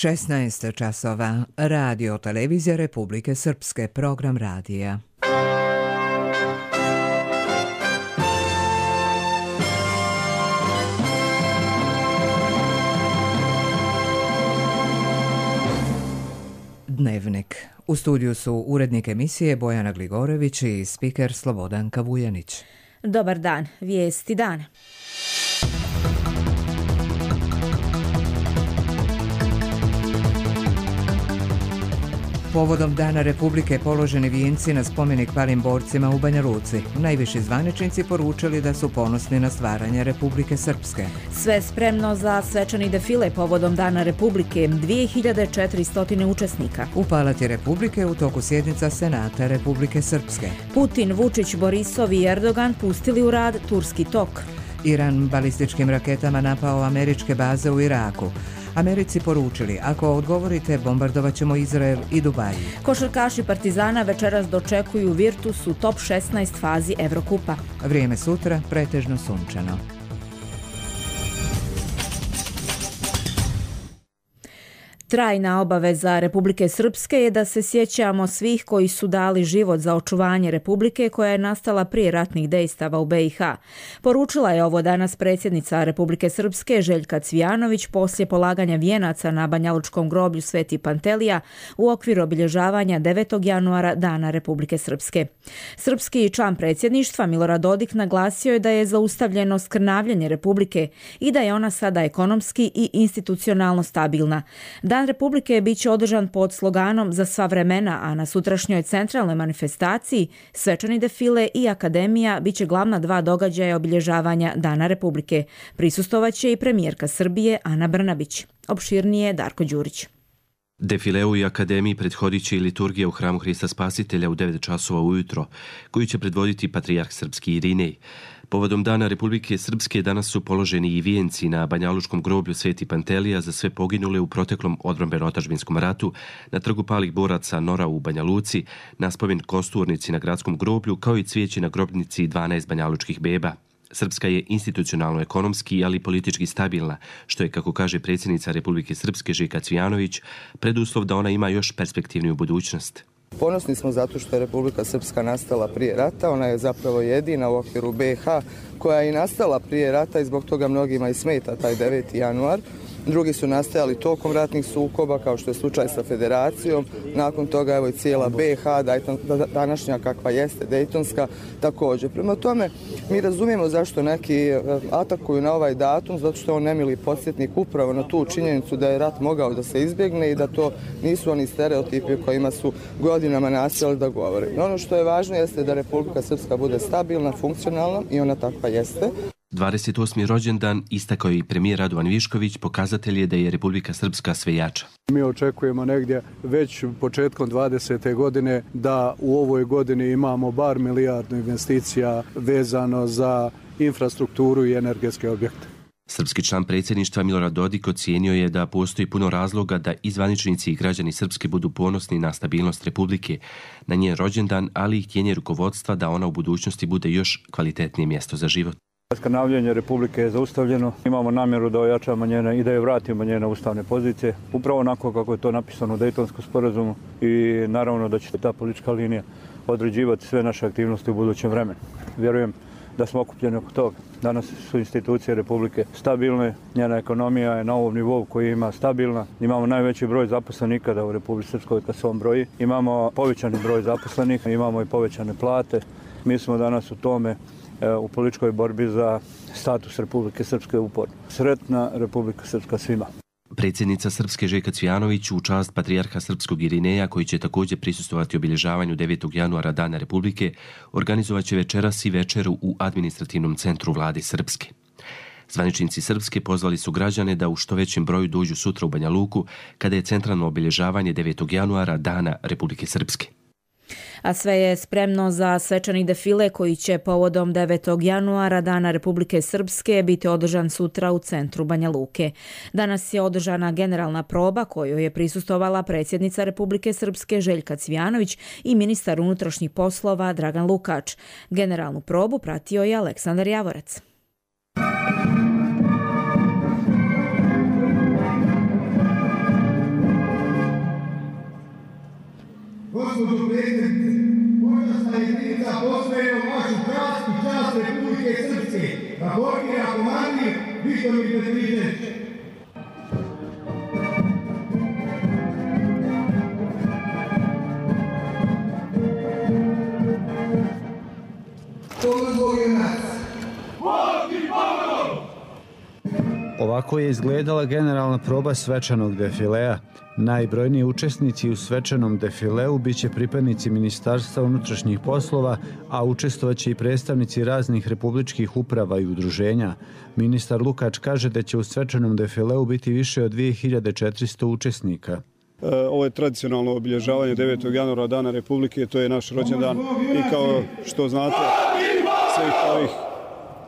16 časova. Radio televizija Republike Srpske, program radija. Dnevnik. U studiju su urednik emisije Bojana Gligorević i spiker Slobodanka Vujanić. Dobar dan, vijesti dana. Povodom Dana Republike položeni vijenci na spomenik palim borcima u Banja Luci. Najviši zvaničnici poručili da su ponosni na stvaranje Republike Srpske. Sve spremno za svečani defile povodom Dana Republike, 2400 učesnika. U Palati Republike u toku sjednica Senata Republike Srpske. Putin, Vučić, Borisov i Erdogan pustili u rad Turski tok. Iran balističkim raketama napao američke baze u Iraku. Americi poručili, ako odgovorite, bombardovat ćemo Izrael i Dubaj. Košarkaši Partizana večeras dočekuju Virtus u top 16 fazi Evrokupa. Vrijeme sutra pretežno sunčano. Trajna obaveza Republike Srpske je da se sjećamo svih koji su dali život za očuvanje Republike koja je nastala prije ratnih dejstava u BiH. Poručila je ovo danas predsjednica Republike Srpske Željka Cvijanović poslije polaganja vijenaca na Banjalučkom groblju Sveti Pantelija u okviru obilježavanja 9. januara Dana Republike Srpske. Srpski član predsjedništva Milorad Dodik naglasio je da je zaustavljeno skrnavljenje Republike i da je ona sada ekonomski i institucionalno stabilna. Dan Republike bit će održan pod sloganom Za sva vremena, a na sutrašnjoj centralnoj manifestaciji svečani defile i akademija bit će glavna dva događaja obilježavanja Dana Republike. Prisustovat će i premijerka Srbije Ana Brnabić. Opširnije Darko Đurić. Defileu i akademiji prethodit će i liturgija u hramu Hrista Spasitelja u 9 časova ujutro, koju će predvoditi patrijarh srpski Irinej. Povodom Dana Republike Srpske danas su položeni i vijenci na Banjalučkom groblju Sveti Pantelija za sve poginule u proteklom odbrambeno-otadžbinskom ratu, na trgu palih boraca Nora u Banja Luci, na spomen kosturnici na gradskom groblju, kao i cvijeći na grobnici 12 banjalučkih beba. Srpska je institucionalno ekonomski, ali i politički stabilna, što je, kako kaže predsjednica Republike Srpske Željka Cvijanović, preduslov da ona ima još perspektivniju budućnost. Ponosni smo zato što je Republika Srpska nastala prije rata, ona je zapravo jedina u okviru BiH koja je i nastala prije rata i zbog toga mnogima i smeta taj 9. januar. Drugi su nastajali tokom ratnih sukoba, kao što je slučaj sa Federacijom. Nakon toga evo i cijela BiH, današnja kakva jeste, Dejtonska, također. Prema tome, mi razumijemo zašto neki atakuju na ovaj datum, zato što je on nemili podsjetnik upravo na tu činjenicu da je rat mogao da se izbjegne i da to nisu oni stereotipi o kojima su godinama nastojali da govore. Ono što je važno jeste da Republika Srpska bude stabilna, funkcionalna i ona takva jeste. 28. rođendan, istakao je i premijer Radovan Višković, pokazatelj je da je Republika Srpska sve jača. Mi očekujemo negdje već početkom 20. godine da u ovoj godini imamo bar milijardu investicija vezano za infrastrukturu i energetske objekte. Srpski član predsjedništva Milorad Dodik ocijenio je da postoji puno razloga da i zvaničnici i građani Srpske budu ponosni na stabilnost Republike, na njen rođendan, ali i htjenje rukovodstva da ona u budućnosti bude još kvalitetnije mjesto za život. Skrnavljenje Republike je zaustavljeno. Imamo namjeru da ojačamo njene i da je vratimo njene ustavne pozicije, upravo onako kako je to napisano u Dejtonskom sporazumu i naravno da će ta politička linija određivati sve naše aktivnosti u budućem vremenu. Vjerujem da smo okupljeni oko toga. Danas su institucije Republike stabilne, njena ekonomija je na ovom nivou koji ima stabilna. Imamo najveći broj zaposlenih ikada u Republici Srpskoj kad se on broji. Imamo povećani broj zaposlenih, imamo i povećane plate. Mi smo danas u tome u političkoj borbi za status Republike Srpske uporno. Sretna Republika Srpska svima. Predsjednica Srpske Željka Cvijanović u čast patrijarha srpskog Irineja, koji će također prisustvovati obilježavanju 9. januara Dana Republike, organizovat će večeras i večeru u administrativnom centru vlade Srpske. Zvaničnici Srpske pozvali su građane da u što većem broju dođu sutra u Banja Luku, kada je centralno obilježavanje 9. januara Dana Republike Srpske. A sve je spremno za svečani defile koji će povodom 9. januara Dana Republike Srpske biti održan sutra u centru Banja Luke. Danas je održana generalna proba kojoj je prisustvovala predsjednica Republike Srpske Željka Cvijanović i ministar unutrašnjih poslova Dragan Lukač. Generalnu probu pratio je Aleksandar Javorac. gospođo predsjednice, počasna jedinica posvećena vašu čast i čast Republike Srpske, Gabordija komandir Vitomir Petričević. Ovako je izgledala generalna proba svečanog defilea. Najbrojniji učesnici u svečanom defileu biće pripadnici Ministarstva unutrašnjih poslova, a učestvovaće i predstavnici raznih republičkih uprava i udruženja. Ministar Lukač kaže da će u svečanom defileu biti više od 2400 učesnika. Ovo je tradicionalno obilježavanje 9. januara, Dana Republike, to je naš rođendan i kao što znate svih ovih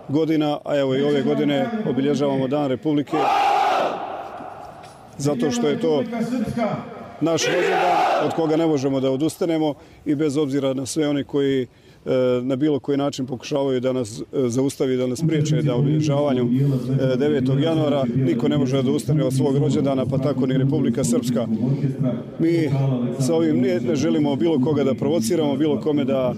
godina, a evo i ove godine obilježavamo Dan Republike zato što je to naš rođendan od koga ne možemo da odustanemo i bez obzira na sve one koji na bilo koji način pokušavaju da nas zaustavi, da nas priječe da obilježavanju 9. januara niko ne može da ustane od svog rođendana, pa tako ni Republika Srpska. Mi sa ovim ne želimo bilo koga da provociramo, bilo kome da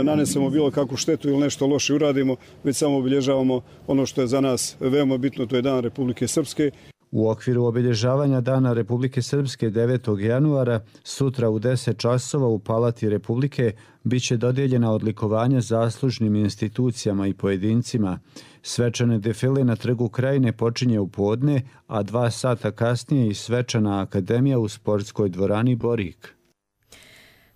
nanesemo bilo kakvu štetu ili nešto loše uradimo, već samo obilježavamo ono što je za nas veoma bitno, to je Dan Republike Srpske. U okviru obilježavanja Dana Republike Srpske 9. januara, sutra u 10 časova u Palati Republike biće dodijeljena odlikovanja zaslužnim institucijama i pojedincima. Svečane defile na Trgu Krajine počinje u podne, a 2 sata kasnije i svečana akademija u sportskoj dvorani Borik.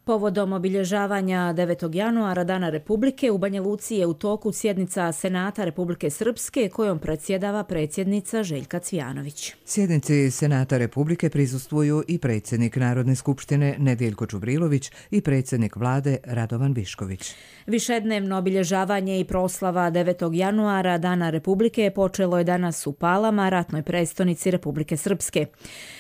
Povodom obilježavanja 9. januara Dana Republike u Banja Luci je u toku sjednica Senata Republike Srpske kojom predsjedava predsjednica Željka Cvijanović. Sjednici Senata Republike prisustvuju i predsjednik Narodne skupštine Nedijeljko Čubrilović i predsjednik vlade Radovan Višković. Višednevno obilježavanje i proslava 9. januara Dana Republike počelo je danas u Palama, ratnoj prestonici Republike Srpske.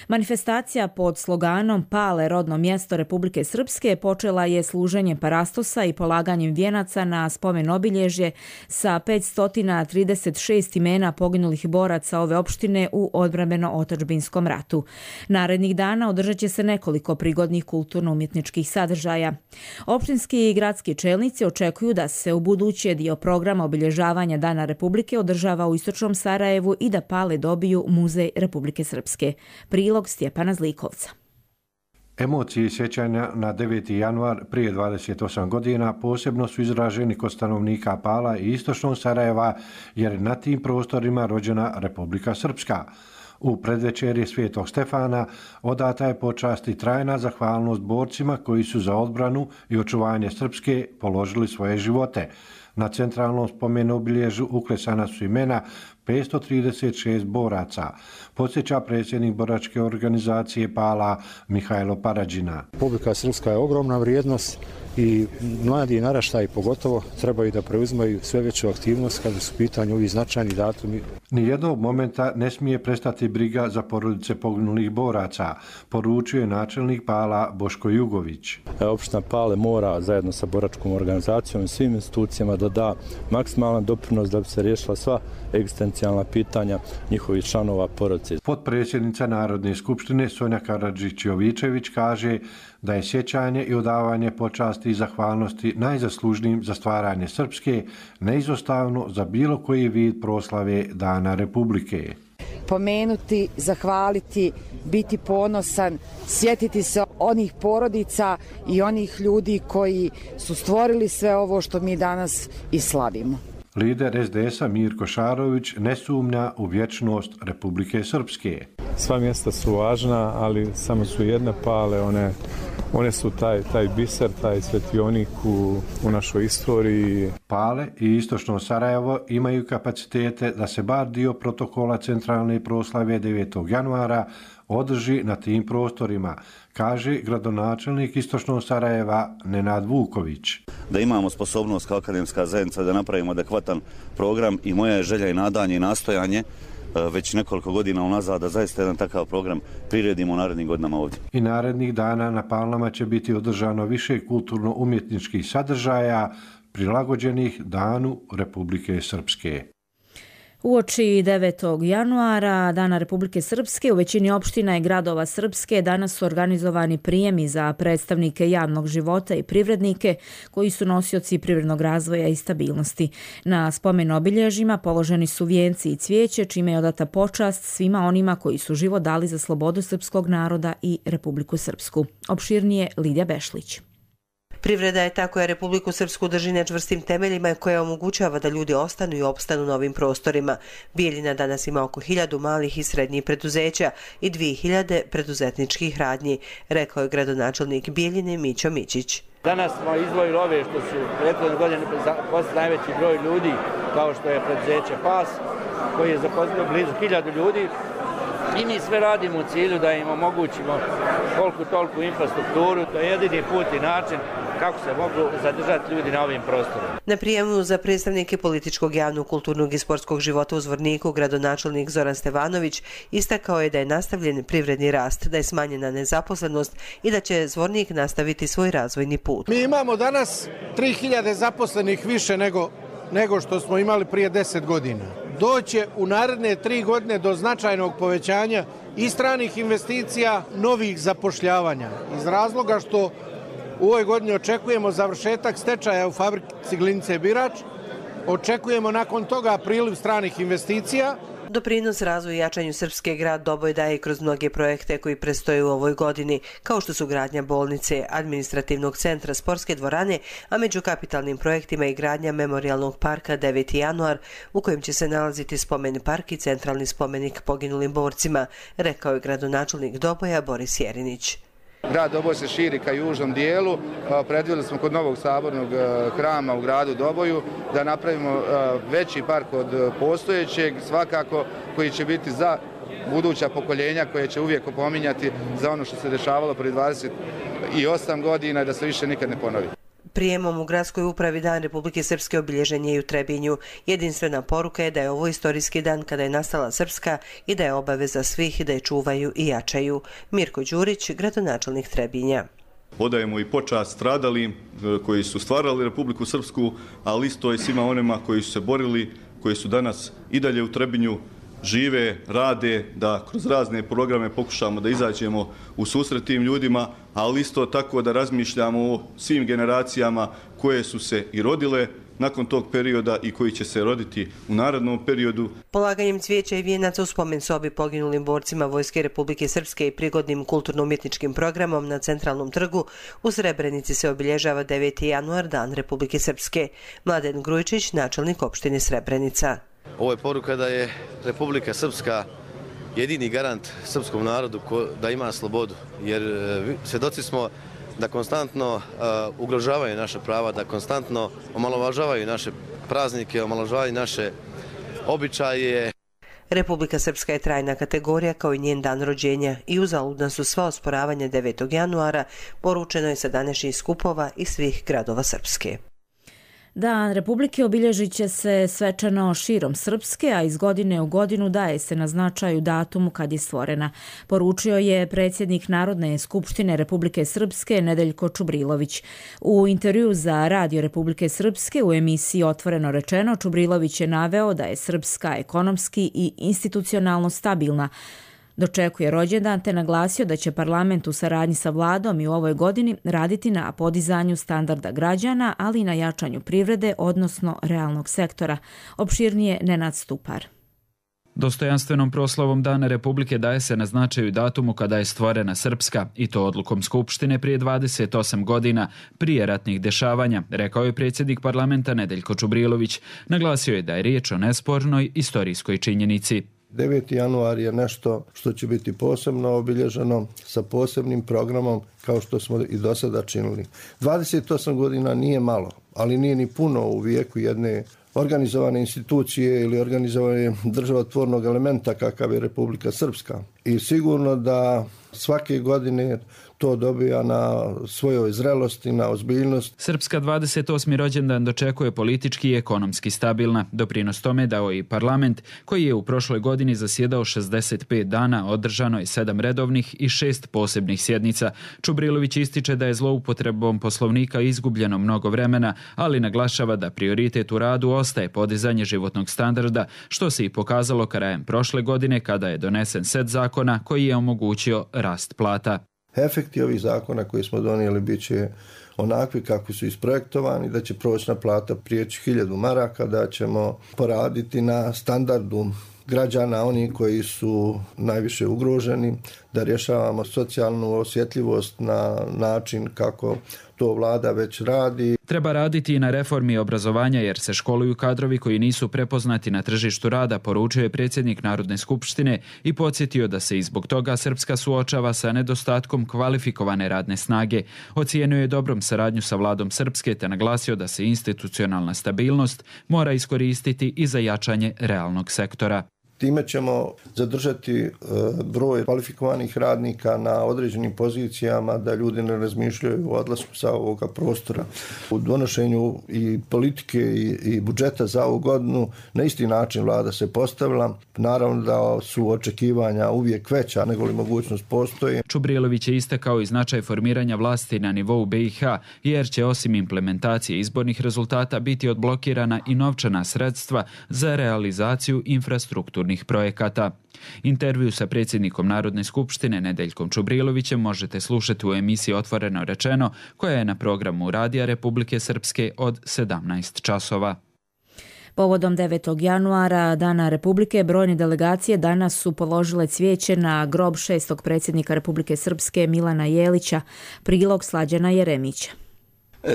Manifestacija pod sloganom Pale rodno mjesto Republike Srpske počela je služenjem parastosa i polaganjem vijenaca na spomen obilježje sa 536 imena poginulih boraca ove opštine u odbrambeno-otadžbinskom ratu. Narednih dana održat će se nekoliko prigodnih kulturno-umjetničkih sadržaja. Opštinski i gradski čelnici očekuju da se u buduće dio programa obilježavanja Dana Republike održava u istočnom Sarajevu i da Pale dobiju Muzej Republike Srpske. Prilog Stjepana Zlikovca. Emocije sjećanja na 9. januar prije 28 godina posebno su izraženi kod stanovnika Pala i istočnog Sarajeva, jer na tim prostorima rođena Republika Srpska. U predvečerje Svetog Stefana odata je počast i trajna zahvalnost borcima koji su za odbranu i očuvanje Srpske položili svoje živote. Na centralnom spomenu obilježju uklesana su imena 536 boraca, podsjeća predsjednik boračke organizacije Pala Mihajlo Parađina. Republika Srpska je ogromna vrijednost i mladi naraštaji pogotovo trebaju da preuzimaju sve veću aktivnost kada su u pitanju ovi značajni datumi. Nijednog momenta ne smije prestati briga za porodice poginulih boraca, poručuje načelnik Pala Boško Jugović. Opština Pale mora zajedno sa boračkom organizacijom i svim institucijama da da maksimalan doprinos da bi se riješila sva egzistencijalna pitanja njihovih članova porodice. Potpredsjednica Narodne skupštine Sonja Karadžić-Jovičević kaže da je sjećanje i odavanje počasti i zahvalnosti najzaslužnijim za stvaranje Srpske neizostavno za bilo koji vid proslave Dana Republike. Pomenuti, zahvaliti, biti ponosan, sjetiti se onih porodica i onih ljudi koji su stvorili sve ovo što mi danas i slavimo. Lider SDS-a Mirko Šarović ne sumnja u vječnost Republike Srpske. Sva mjesta su važna, ali samo su jedne Pale, one su taj biser, taj svetionik u našoj istoriji. Pale i istočno Sarajevo imaju kapacitete da se bar dio protokola centralne proslave 9. januara održi na tim prostorima, kaže gradonačelnik istočnog Sarajeva Nenad Vuković. Da imamo sposobnost kao akademska zajednica da napravimo adekvatan program i moja je želja i nadanje i nastojanje već nekoliko godina unazad da zaista jedan takav program priredimo u narednim godinama ovdje. I narednih dana na Palama će biti održano više kulturno-umjetničkih sadržaja prilagođenih Danu Republike Srpske. Uoči 9. januara, Dana Republike Srpske, u većini opština i gradova Srpske danas su organizovani prijemi za predstavnike javnog života i privrednike koji su nosioci privrednog razvoja i stabilnosti. Na spomen obilježjima položeni su vijenci i cvijeće, čime je odata počast svima onima koji su život dali za slobodu srpskog naroda i Republiku Srpsku. Opširnije Lidija Bešlić. Privreda je ta koja Republiku Srpsku drži na čvrstim temeljima i koja omogućava da ljudi ostanu i opstanu na ovim prostorima. Bijeljina danas ima oko 1000 malih i srednjih preduzeća i 2000 preduzetničkih radnji, rekao je gradonačelnik Bijeljine Mićo Mićić. Danas smo izdvojili ove što su prethodne godine zaposlili najveći broj ljudi, kao što je preduzeće PAS, koji je zaposlio blizu 1000 ljudi. I mi sve radimo u cilju da im omogućimo koliko toliko infrastrukturu. To je jedini put i način kako se mogu zadržati ljudi na ovim prostorima. Na prijemu za predstavnike političkog, javnog, kulturnog i sportskog života u Zvorniku gradonačelnik Zoran Stevanović istakao je da je nastavljen privredni rast, da je smanjena nezaposlenost i da će Zvornik nastaviti svoj razvojni put. Mi imamo danas 3000 zaposlenih više nego što smo imali prije 10 godina. Doće u naredne 3 godine do značajnog povećanja i stranih investicija, novih zapošljavanja. Iz razloga što u ovoj godini očekujemo završetak stečaja u fabrici Glinice Birač, očekujemo nakon toga priliv stranih investicija. Doprinos razvoju i jačanju Srpske grad Doboj daje kroz mnoge projekte koji predstoje u ovoj godini, kao što su gradnja bolnice, administrativnog centra, sportske dvorane, a među kapitalnim projektima i gradnja memorijalnog parka 9. januar, u kojem će se nalaziti spomen park i centralni spomenik poginulim borcima, rekao je gradonačelnik Doboja Boris Jerinić. Grad Doboj se širi ka južnom dijelu. Predvidjeli smo kod novog sabornog hrama u gradu Doboju da napravimo veći park od postojećeg, svakako koji će biti za buduća pokoljenja koje će uvijek opominjati za ono što se dešavalo prije 28 godina i da se više nikad ne ponovi. Prijemom u gradskoj upravi Dan Republike Srpske obilježen je i u Trebinju. Jedinstvena poruka je da je ovo istorijski dan kada je nastala Srpska i da je obaveza svih da je čuvaju i jačaju. Mirko Đurić, gradonačelnik Trebinja. Odajemo i počast stradalim koji su stvarali Republiku Srpsku, ali isto i svima onima koji su se borili, koji su danas i dalje u Trebinju, žive, rade, da kroz razne programe pokušamo da izađemo u susret tim ljudima, ali isto tako da razmišljamo o svim generacijama koje su se i rodile nakon tog perioda i koji će se roditi u narednom periodu. Polaganjem cvijeća i vijenaca u spomen sobi poginulim borcima Vojske Republike Srpske i prigodnim kulturno-umjetničkim programom na Centralnom trgu u Srebrenici se obilježava 9. januar, Dan Republike Srpske. Mladen Grujčić, načelnik opštine Srebrenica. Ovo je poruka da je Republika Srpska jedini garant srpskom narodu da ima slobodu, jer svjedoci smo da konstantno ugrožavaju naše prava, da konstantno omalovažavaju naše praznike, omalovažavaju naše običaje. Republika Srpska je trajna kategorija kao i njen dan rođenja i uzaludna su sva osporavanja 9. januara, poručeno je sa današnjih skupova iz svih gradova Srpske. Dan Republike obilježit će se svečano širom Srpske, a iz godine u godinu daje se na značaju datumu kad je stvorena. Poručio je predsjednik Narodne skupštine Republike Srpske Nedeljko Čubrilović. U intervju za Radio Republike Srpske u emisiji Otvoreno rečeno, Čubrilović je naveo da je Srpska ekonomski i institucionalno stabilna. Dočekuje rođendan te naglasio da će parlament u saradnji sa vladom i u ovoj godini raditi na podizanju standarda građana, ali i na jačanju privrede, odnosno realnog sektora. Opširnije Nenad Stupar. Dostojanstvenom proslavom Dana Republike daje se na značaju datumu kada je stvorena Srpska, i to odlukom Skupštine prije 28 godina, prije ratnih dešavanja, rekao je predsjednik parlamenta Nedeljko Čubrilović. Naglasio je da je riječ o nespornoj istorijskoj činjenici. 9. januar je nešto što će biti posebno obilježeno sa posebnim programom kao što smo i do sada činili. 28 godina nije malo, ali nije ni puno u vijeku jedne organizovane institucije ili organizovane državotvornog elementa kakav je Republika Srpska. I sigurno da Svake godine to dobija na svojoj zrelosti, na ozbiljnost. Srpska 28. rođendan dočekuje politički i ekonomski stabilna. Doprinos tome dao i parlament, koji je u prošloj godini zasjedao 65 dana, održano je 7 redovnih i 6 posebnih sjednica. Čubrilović ističe da je zloupotrebom poslovnika izgubljeno mnogo vremena, ali naglašava da prioritet u radu ostaje podizanje životnog standarda, što se i pokazalo krajem prošle godine kada je donesen set zakona koji je omogućio rast plata. Efekti ovih zakona koje smo donijeli bit će onakvi kakvi su isprojektovani, da će prosječna plata prijeći 1000 maraka, da ćemo poraditi na standardu građana, oni koji su najviše ugroženi, da rješavamo socijalnu osjetljivost na način kako to vlada već radi. Treba raditi i na reformi obrazovanja jer se školuju kadrovi koji nisu prepoznati na tržištu rada, poručio je predsjednik Narodne skupštine i podsjetio da se i zbog toga Srpska suočava sa nedostatkom kvalifikovane radne snage. Ocijenio je dobrom saradnju sa vladom Srpske te naglasio da se institucionalna stabilnost mora iskoristiti i za jačanje realnog sektora. Time ćemo zadržati broj kvalifikovanih radnika na određenim pozicijama, da ljudi ne razmišljaju o odlasku sa ovoga prostora. U donošenju i politike i budžeta za ovu godinu na isti način vlada se postavila. Naravno da su očekivanja uvijek veća nego li mogućnost postoji. Čubrilović je istakao i značaj formiranja vlasti na nivou BiH, jer će osim implementacije izbornih rezultata biti odblokirana i novčana sredstva za realizaciju infrastrukturnih projekata. Intervju sa predsjednikom Narodne skupštine Nedeljkom Čubrilovićem možete slušati u emisiji Otvoreno rečeno, koja je na programu Radija Republike Srpske od 17 časova. Povodom 9. januara, Dana Republike, brojne delegacije danas su položile cvijeće na grob 6. predsjednika Republike Srpske Milana Jelića, prilog Slađana Jeremića.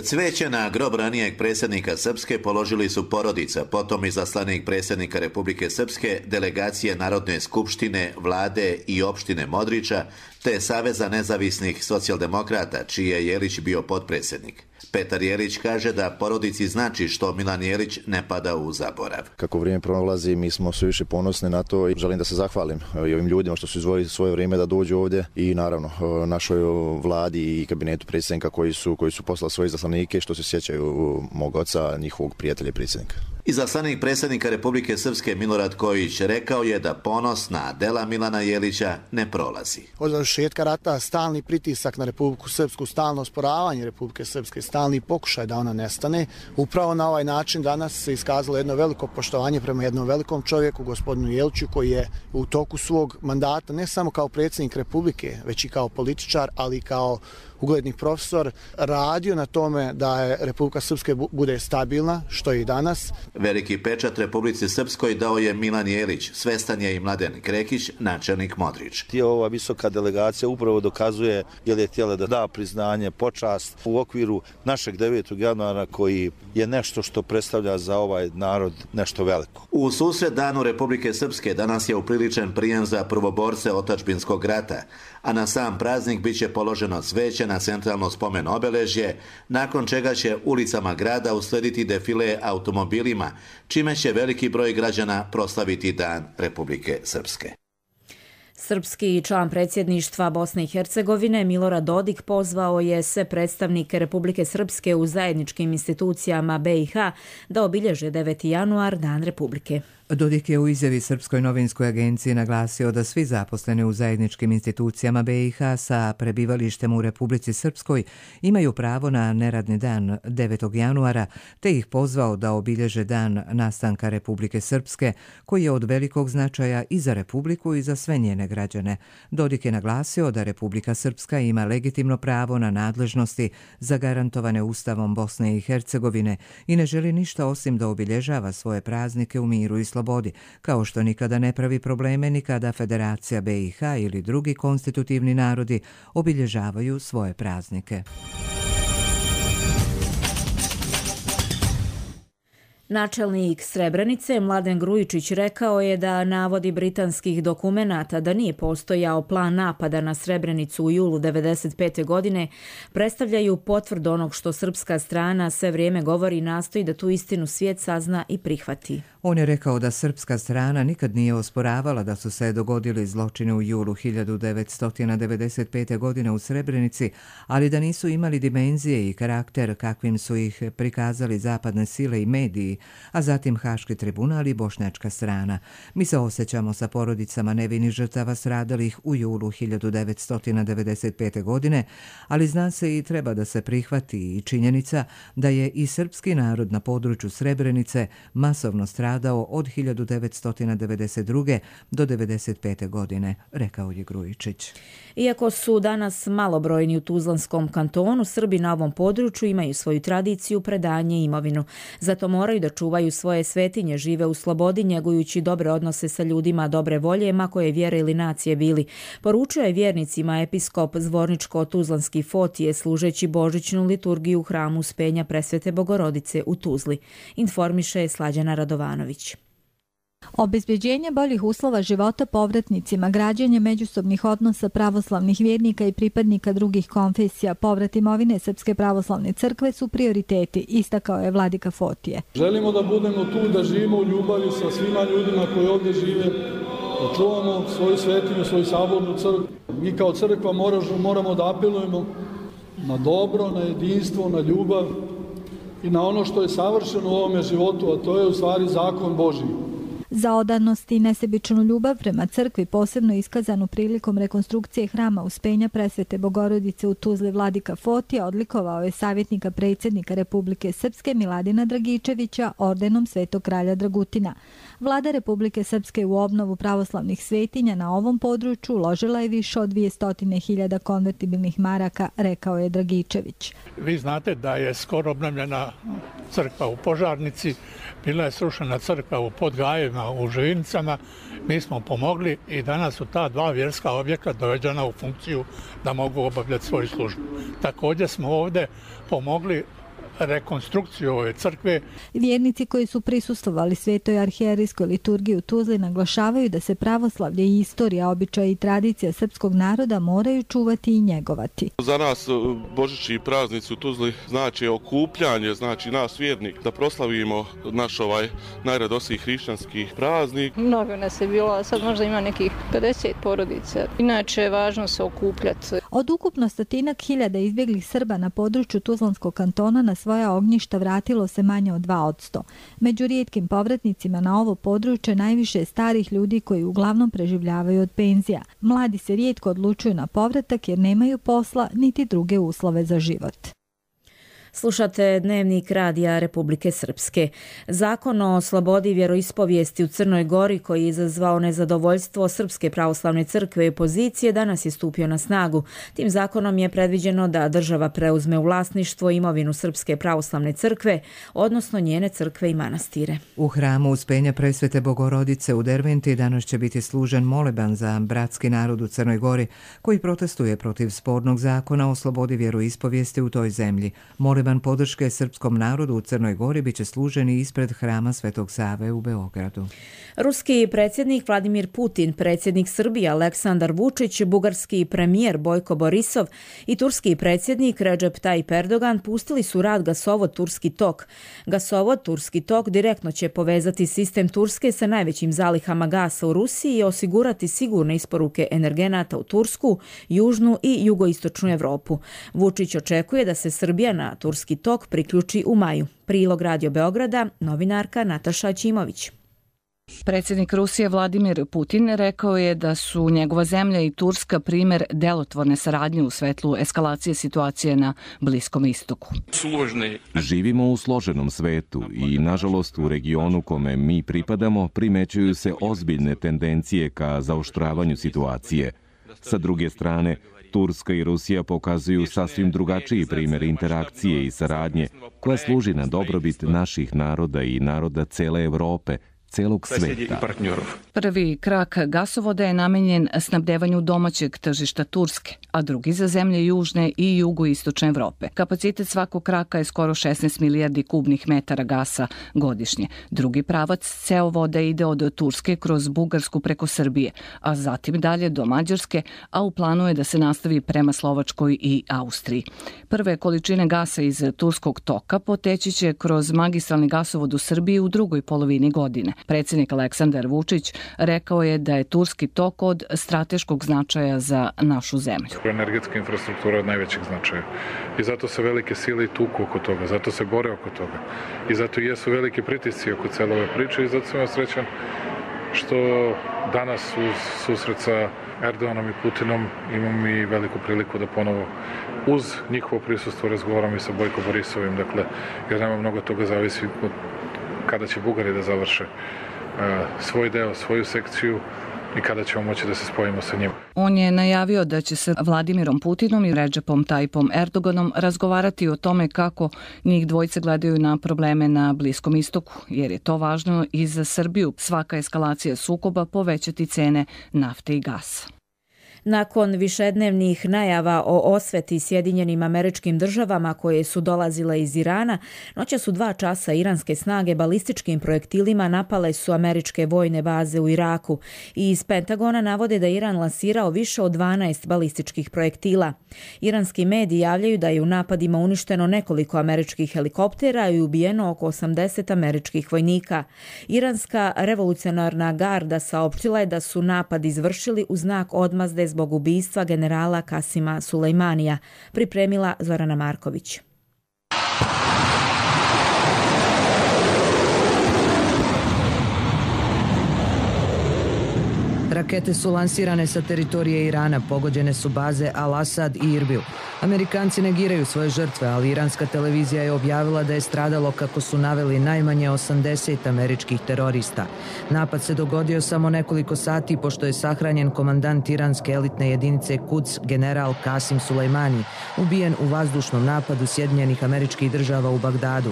Cvijeće na grob ranijeg predsjednika Srpske položili su porodica, potom izaslanik predsjednika Republike Srpske, delegacije Narodne skupštine, vlade i opštine Modrića, te Saveza nezavisnih socijaldemokrata, čiji je Jelić bio potpredsjednik. Petar Jelić kaže da porodici znači što Milan Jelić ne pada u zaborav. Kako vrijeme prolazi, mi smo sve više ponosni na to i želim da se zahvalim i ovim ljudima što su izdvojili svoje vrijeme da dođu ovdje i naravno našoj vladi i kabinetu predsjednika koji su poslali svoje izaslanike što se sjećaju mog oca, njihovog prijatelja i predsjednika. Izaslanik predsjednika Republike Srpske Milorad Kojić rekao je da ponos na dela Milana Jelića ne prolazi. Od završetka rata stalni pritisak na Republiku Srpsku, stalno osporavanje Republike Srpske, stalni pokušaj da ona nestane. Upravo na ovaj način danas se iskazalo jedno veliko poštovanje prema jednom velikom čovjeku, gospodinu Jeliću, koji je u toku svog mandata ne samo kao predsjednik Republike, već i kao političar, ali i kao ugledni profesor, radio na tome da je Republika Srpska bude stabilna, što je i danas. Veliki pečat Republici Srpskoj dao je Milan Jelić, svestan je i Mladen Krekić, načelnik Modrić. Ova visoka delegacija upravo dokazuje jer je htjela da da priznanje, počast u okviru našeg 9. januara koji je nešto što predstavlja za ovaj narod nešto veliko. U susret Danu Republike Srpske danas je upriličen prijem za prvoborce otadžbinskog rata, a na sam praznik bit će položeno cvijeće na centralno spomen obeležje, nakon čega će ulicama grada uslediti defile automobilima, čime će veliki broj građana proslaviti Dan Republike Srpske. Srpski član predsjedništva Bosne i Hercegovine Milorad Dodik pozvao je sve predstavnike Republike Srpske u zajedničkim institucijama BiH da obilježe 9. januar, Dan Republike. Dodik je u izjavi Srpskoj novinskoj agenciji naglasio da svi zaposleni u zajedničkim institucijama BiH sa prebivalištem u Republici Srpskoj imaju pravo na neradni dan 9. januara, te ih pozvao da obilježe dan nastanka Republike Srpske, koji je od velikog značaja i za Republiku i za sve njene građane. Dodik je naglasio da Republika Srpska ima legitimno pravo na nadležnosti zagarantovane Ustavom Bosne i Hercegovine i ne želi ništa osim da obilježava svoje praznike u miru i slobodi, kao što nikada ne pravi probleme ni kada Federacija BiH ili drugi konstitutivni narodi obilježavaju svoje praznike. Načelnik Srebrenice Mladen Grujičić rekao je da navodi britanskih dokumenata da nije postojao plan napada na Srebrenicu u julu 1995. godine predstavljaju potvrdu onog što srpska strana sve vrijeme govori i nastoji da tu istinu svijet sazna i prihvati. On je rekao da srpska strana nikad nije osporavala da su se dogodili zločini u julu 1995. godine u Srebrenici, ali da nisu imali dimenzije i karakter kakvim su ih prikazali zapadne sile i mediji, a zatim Haški tribunal i bošnjačka strana. Mi se osjećamo sa porodicama nevinih žrtava stradalih u julu 1995. godine, ali zna se i treba da se prihvati i činjenica da je i srpski narod na području Srebrenice masovno stradao od 1992. do 1995. godine, rekao je Grujičić. Iako su danas malobrojni u Tuzlanskom kantonu, Srbi na ovom području imaju svoju tradiciju, predanje i imovinu. Zato moraju da čuvaju svoje svetinje, žive u slobodi, njegujući dobre odnose sa ljudima dobre volje, ma koje vjere ili nacije bili. Poručio je vjernicima episkop Zvorničko-Tuzlanski Fotije, služeći božićnu liturgiju u hramu Uspenja Presvete Bogorodice u Tuzli. Informiše Slađana Radovanović. Obezbeđenje boljih uslova života povratnicima, građenje međusobnih odnosa pravoslavnih vjernika i pripadnika drugih konfesija, povrat imovine Srpske pravoslavne crkve su prioriteti, istakao je vladika Fotije. Želimo da budemo tu, da živimo u ljubavi sa svima ljudima koji ovdje žive, da čuvamo svoju svetinju, svoju sabornu crkvu. Mi kao crkva moramo da apelujemo na dobro, na jedinstvo, na ljubav i na ono što je savršeno u ovome životu, a to je u stvari zakon Božji. Za odanost i nesebičnu ljubav prema crkvi, posebno iskazanu prilikom rekonstrukcije hrama Uspenja Presvete Bogorodice u Tuzli, vladika Fotija odlikovao je savjetnika predsjednika Republike Srpske Miladina Dragičevića ordenom Svetog kralja Dragutina. Vlada Republike Srpske u obnovu pravoslavnih svetinja na ovom području uložila je više od 200.000 konvertibilnih maraka, rekao je Dragičević. Vi znate da je skoro obnovljena crkva u Požarnici, bila je srušena crkva u Podgajevima, u Živinicama. Mi smo pomogli i danas su ta dva vjerska objekta dovedena u funkciju da mogu obavljati svoju službu. Također smo ovdje pomogli rekonstrukciju ove crkve. Vjernici koji su prisustvovali svetoj arhijerijskoj liturgiji u Tuzli naglašavaju da se pravoslavlje i istorija, običaji i tradicija srpskog naroda moraju čuvati i njegovati. Za nas božićni praznici u Tuzli znači okupljanje, znači nas vjernik da proslavimo naš najradosniji hrišćanski praznik. Mnogo nas je bilo, a sad možda ima nekih 50 porodica. Inače je važno se okupljati. Od ukupno 100.000 izbjeglih Srba na području Tuzlanskog kantona na svoja ognjišta vratilo se manje od 2%. Među rijetkim povratnicima na ovo područje najviše je starih ljudi koji uglavnom preživljavaju od penzija. Mladi se rijetko odlučuju na povratak jer nemaju posla niti druge uslove za život. Slušate Dnevnik Radija Republike Srpske. Zakon o slobodi vjeroispovijesti u Crnoj Gori, koji je izazvao nezadovoljstvo Srpske pravoslavne crkve i opozicije, danas je stupio na snagu. Tim zakonom je predviđeno da država preuzme u vlasništvo imovinu Srpske pravoslavne crkve, odnosno njene crkve i manastire. U hramu Uspenja Presvete Bogorodice u Derventi danas će biti služen moleban za bratski narod u Crnoj Gori, koji protestuje protiv spornog zakona o slobodi vjeroispovijesti u toj zemlji. Moleban podrške srpskom narodu u Crnoj Gori biće služen i ispred hrama Svetog Save u Beogradu. Ruski predsjednik Vladimir Putin, predsjednik Srbije Aleksandar Vučić, bugarski premijer Bojko Borisov i turski predsjednik Recep Tayyip Erdogan pustili su rad gasovod Turski tok. Gasovod Turski tok direktno će povezati sistem Turske sa najvećim zalihama gasa u Rusiji i osigurati sigurne isporuke energenata u Tursku, južnu i jugoistočnu Evropu. Vučić očekuje da se Srbija na Turski tok priključi u maju. Prilog Radio Beograda, novinarka Nataša Ćimović. Predsjednik Rusije Vladimir Putin rekao je da su njegova zemlja i Turska primjer delotvorne saradnje u svetlu eskalacije situacije na Bliskom istoku. Živimo u složenom svetu i, nažalost, u regionu kome mi pripadamo primećuju se ozbiljne tendencije ka zaoštravanju situacije. Sa druge strane, Turska i Rusija pokazuju sasvim drugačiji primjer interakcije i saradnje koja služi na dobrobit naših naroda i naroda cele Evrope, celog sveta. Prvi krak gasovoda je namenjen snabdevanju domaćeg tržišta Turske, a drugi za zemlje južne i jugoistočne Evrope. Kapacitet svakog kraka je skoro 16 milijardi kubnih metara gasa godišnje. Drugi pravac cevovoda ide od Turske kroz Bugarsku preko Srbije, a zatim dalje do Mađarske, a u planu je da se nastavi prema Slovačkoj i Austriji. Prve količine gasa iz turskog toka poteći će kroz magistralni gasovod u Srbiji u drugoj polovini godine. Predsjednik Aleksandar Vučić rekao je da je turski tok od strateškog značaja za našu zemlju. Energetska infrastruktura je od najvećeg značaja i zato se velike sile i tuku oko toga, zato se bore oko toga i zato jesu velike pritisci oko cele ove priče i zato sam srećan što danas uz susret sa Erdoganom i Putinom imam i veliku priliku da ponovo uz njihovo prisustvo razgovaram i sa Bojko Borisovim, dakle, jer nema mnogo toga zavisi kada će Bugari da završe svoj deo, svoju sekciju i kada ćemo moći da se spojimo sa njima. On je najavio da će se Vladimirom Putinom i Redžepom Tajipom Erdoganom razgovarati o tome kako njih dvojice gledaju na probleme na Bliskom istoku, jer je to važno i za Srbiju. Svaka eskalacija sukoba povećati cene nafte i gasa. Nakon višednevnih najava o osveti Sjedinjenim Američkim Državama koje su dolazile iz Irana, noća su 2 časa iranske snage balističkim projektilima napale su američke vojne baze u Iraku i iz Pentagona navode da Iran lansirao više od 12 balističkih projektila. Iranski mediji javljaju da je u napadima uništeno nekoliko američkih helikoptera i ubijeno oko 80 američkih vojnika. Iranska revolucionarna garda saopštila je da su napad izvršili u znak odmazde zbog ubistva generala Kasima Sulejmanija, pripremila Zorana Marković. Rakete su lansirane sa teritorije Irana, pogođene su baze Al-Asad i Irbil. Amerikanci negiraju svoje žrtve, ali iranska televizija je objavila da je stradalo, kako su naveli, najmanje 80 američkih terorista. Napad se dogodio samo nekoliko sati pošto je sahranjen komandant iranske elitne jedinice Quds, general Kasim Sulejmani, ubijen u vazdušnom napadu Sjedinjenih Američkih Država u Bagdadu.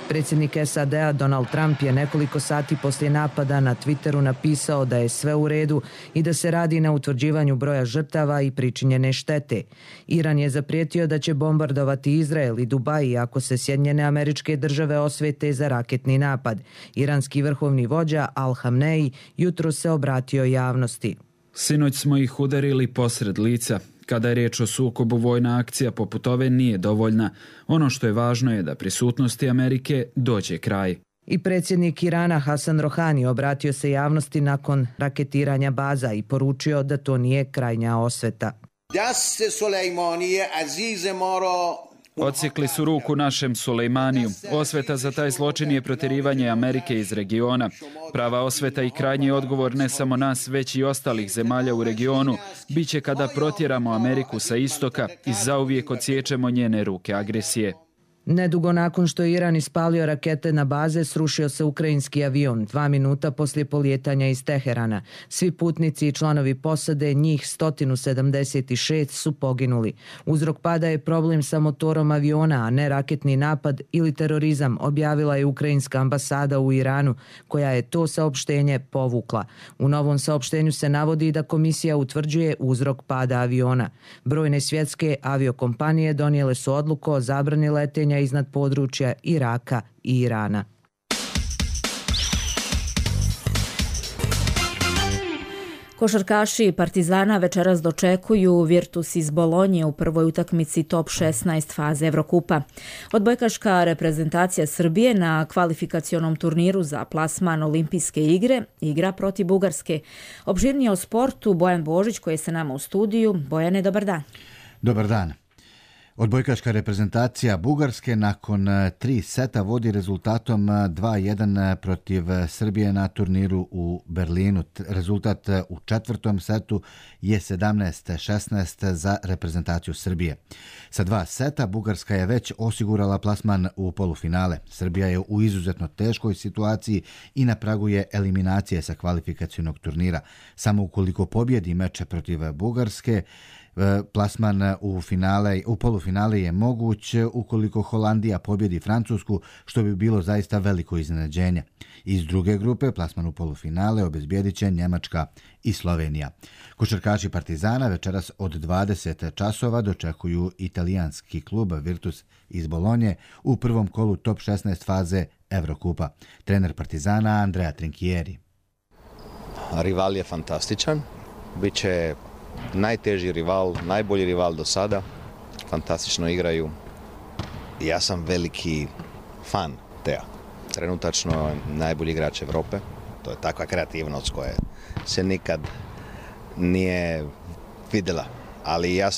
Predsjednik SAD-a Donald Trump je nekoliko sati poslije napada na Twitteru napisao da je sve u redu i da se radi na utvrđivanju broja žrtava i pričinjene štete. Iran je zaprijetio da će bombardovati Izrael i Dubaj ako se Sjedinjene Američke Države osvete za raketni napad. Iranski vrhovni vođa Al-Hamnei jutro se obratio javnosti. Sinoć smo ih udarili posred lica. Kada je riječ o sukobu, vojna akcija poput ove nije dovoljna. Ono što je važno je da prisutnosti Amerike dođe kraj. I predsjednik Irana Hasan Rohani obratio se javnosti nakon raketiranja baza i poručio da to nije krajnja osveta. Odsjekli su ruku našem Sulejmaniju. Osveta za taj zločin je protjerivanje Amerike iz regiona. Prava osveta i krajnji odgovor ne samo nas, već i ostalih zemalja u regionu biće kada protjeramo Ameriku sa istoka i zauvijek odsječemo njene ruke agresije. Nedugo nakon što je Iran ispalio rakete na baze, srušio se ukrajinski avion 2 minuta poslije polijetanja iz Teherana. Svi putnici i članovi posade, njih 176, su poginuli. Uzrok pada je problem sa motorom aviona, a ne raketni napad ili terorizam, objavila je ukrajinska ambasada u Iranu, koja je to saopštenje povukla. U novom saopštenju se navodi da komisija utvrđuje uzrok pada aviona. Brojne svjetske aviokompanije donijele su odluku o zabrani letenja iznad područja Iraka i Irana. Košarkaši Partizana večeras dočekuju Virtus iz Bolonje u prvoj utakmici top 16 faze Evrokupa. Odbojkaška reprezentacija Srbije na kvalifikacionom turniru za plasman Olimpijske igre igra protiv Bugarske. Opširnije o sportu Bojan Božić koji je sa nama u studiju. Bojane, dobar dan. Dobar dan. Odbojkaška reprezentacija Bugarske nakon 3 seta vodi rezultatom 2-1 protiv Srbije na turniru u Berlinu. Rezultat u 4. setu je 17-16 za reprezentaciju Srbije. Sa 2 seta Bugarska je već osigurala plasman u polufinale. Srbija je u izuzetno teškoj situaciji i na pragu je eliminacije sa kvalifikacionog turnira. Samo ukoliko pobjedi meče protiv Bugarske, Plasman u polufinale je moguć ukoliko Holandija pobjedi Francusku, što bi bilo zaista veliko iznenađenje. Iz druge grupe plasman u polufinale obezbijedit će Njemačka i Slovenija. Košarkaši Partizana večeras od 20 časova dočekuju italijanski klub Virtus iz Bolonje u prvom kolu top 16 faze Evrokupa. Trener Partizana Andrea Trinchieri. Rival je fantastičan. Biće najteži rival, najbolji rival do sada. Fantastično igraju. Ja sam veliki fan Tea. Trenutačno najbolji igrač Evrope. To je takva kreativnost koja se nikad nije vidjela. Ali ja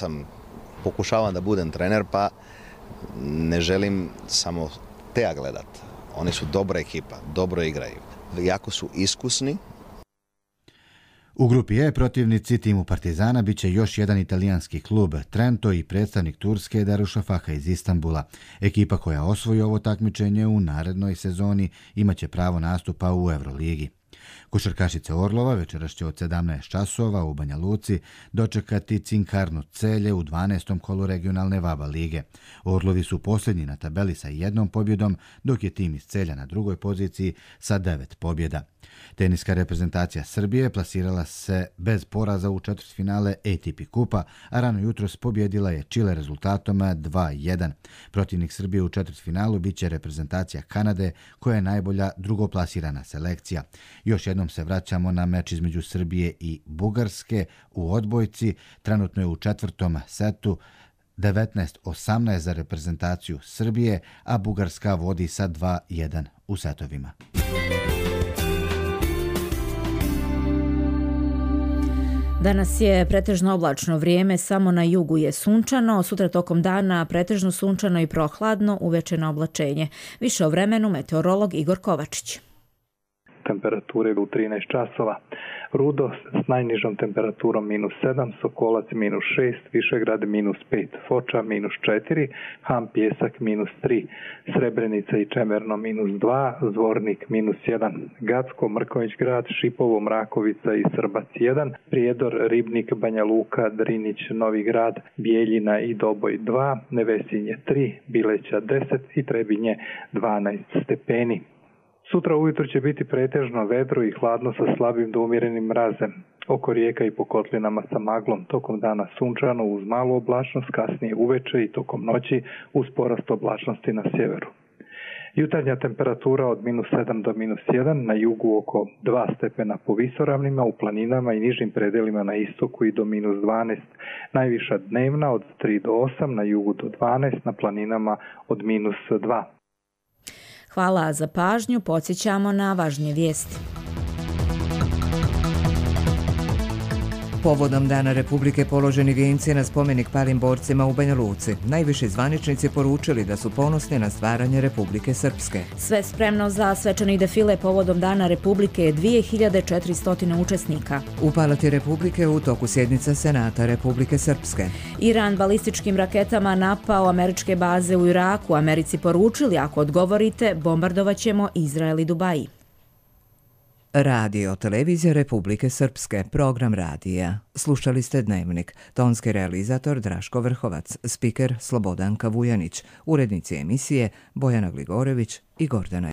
pokušavam da budem trener, pa ne želim samo Tea gledat. Oni su dobra ekipa, dobro igraju. Jako su iskusni. U grupi E protivnici timu Partizana bit će još jedan italijanski klub, Trento, i predstavnik Turske Darüşşafaka iz Istanbula. Ekipa koja osvoji ovo takmičenje u narednoj sezoni imaće pravo nastupa u Euroligi. Košarkašice Orlova večeras će od 17 časova u Banja Luci dočekati Cinkarnu Celje u 12. kolu regionalne VABA lige. Orlovi su posljednji na tabeli sa 1 pobjedom, dok je tim iz Celja na drugoj poziciji sa 9 pobjeda. Teniska reprezentacija Srbije plasirala se bez poraza u četvrtfinale ATP kupa, a rano jutros pobjedila je Čile rezultatom 2-1. Protivnik Srbije u četvrtfinalu bit će reprezentacija Kanade, koja je najbolja drugoplasirana selekcija. Još jednom se vraćamo na meč između Srbije i Bugarske u odbojci. Trenutno je u četvrtom setu 19-18 za reprezentaciju Srbije, a Bugarska vodi sa 2-1 u setovima. Danas je pretežno oblačno vrijeme, samo na jugu je sunčano, sutra tokom dana pretežno sunčano i prohladno, uveče na oblačenje. Više o vremenu meteorolog Igor Kovačić. Temperature u 13 časova. Rudo s najnižom temperaturom -7, Sokolac -6, Višegrad -5, Foča -4, Ham Pjesak -3, Srebrenica i Čemerno -2, Zvornik -1, Gacko, Mrkonjić grad, Šipovo, Mrakovica i Srbac 1, Prijedor, Ribnik, Banja Luka, Drinić, Novi grad, Bijeljina i Doboj 2, Nevesinje 3, Bileća 10 i Trebinje 12 stepeni. Sutra ujutro će biti pretežno vedro i hladno sa slabim do umjerenim mrazem. Oko rijeka i po kotlinama sa maglom, tokom dana sunčano uz malu oblačnost, kasnije uveče i tokom noći uz porast oblačnosti na sjeveru. Jutarnja temperatura od -7 do -1, na jugu oko 2 stepena po visoravnima, u planinama i nižim predelima na istoku i do -12. Najviša dnevna od 3 do 8, na jugu do 12, na planinama od -2. Hvala za pažnju, podsjećamo na važnije vijesti. Povodom Dana Republike položeni vijenci na spomenik palim borcima u Banja Luci. Najviši zvaničnici poručili da su ponosni na stvaranje Republike Srpske. Sve spremno za svečani defile povodom Dana Republike je 2400 učesnika. U Palati Republike u toku sjednica Senata Republike Srpske. Iran balističkim raketama napao američke baze u Iraku. Americi poručili, ako odgovorite, bombardovaćemo Izrael i Dubaji. Radio Televizija Republike Srpske, program radija. Slušali ste Dnevnik. Tonski realizator Draško Vrhovac, spiker Slobodanka Vujanić, urednici emisije Bojana Gligorević i Gordana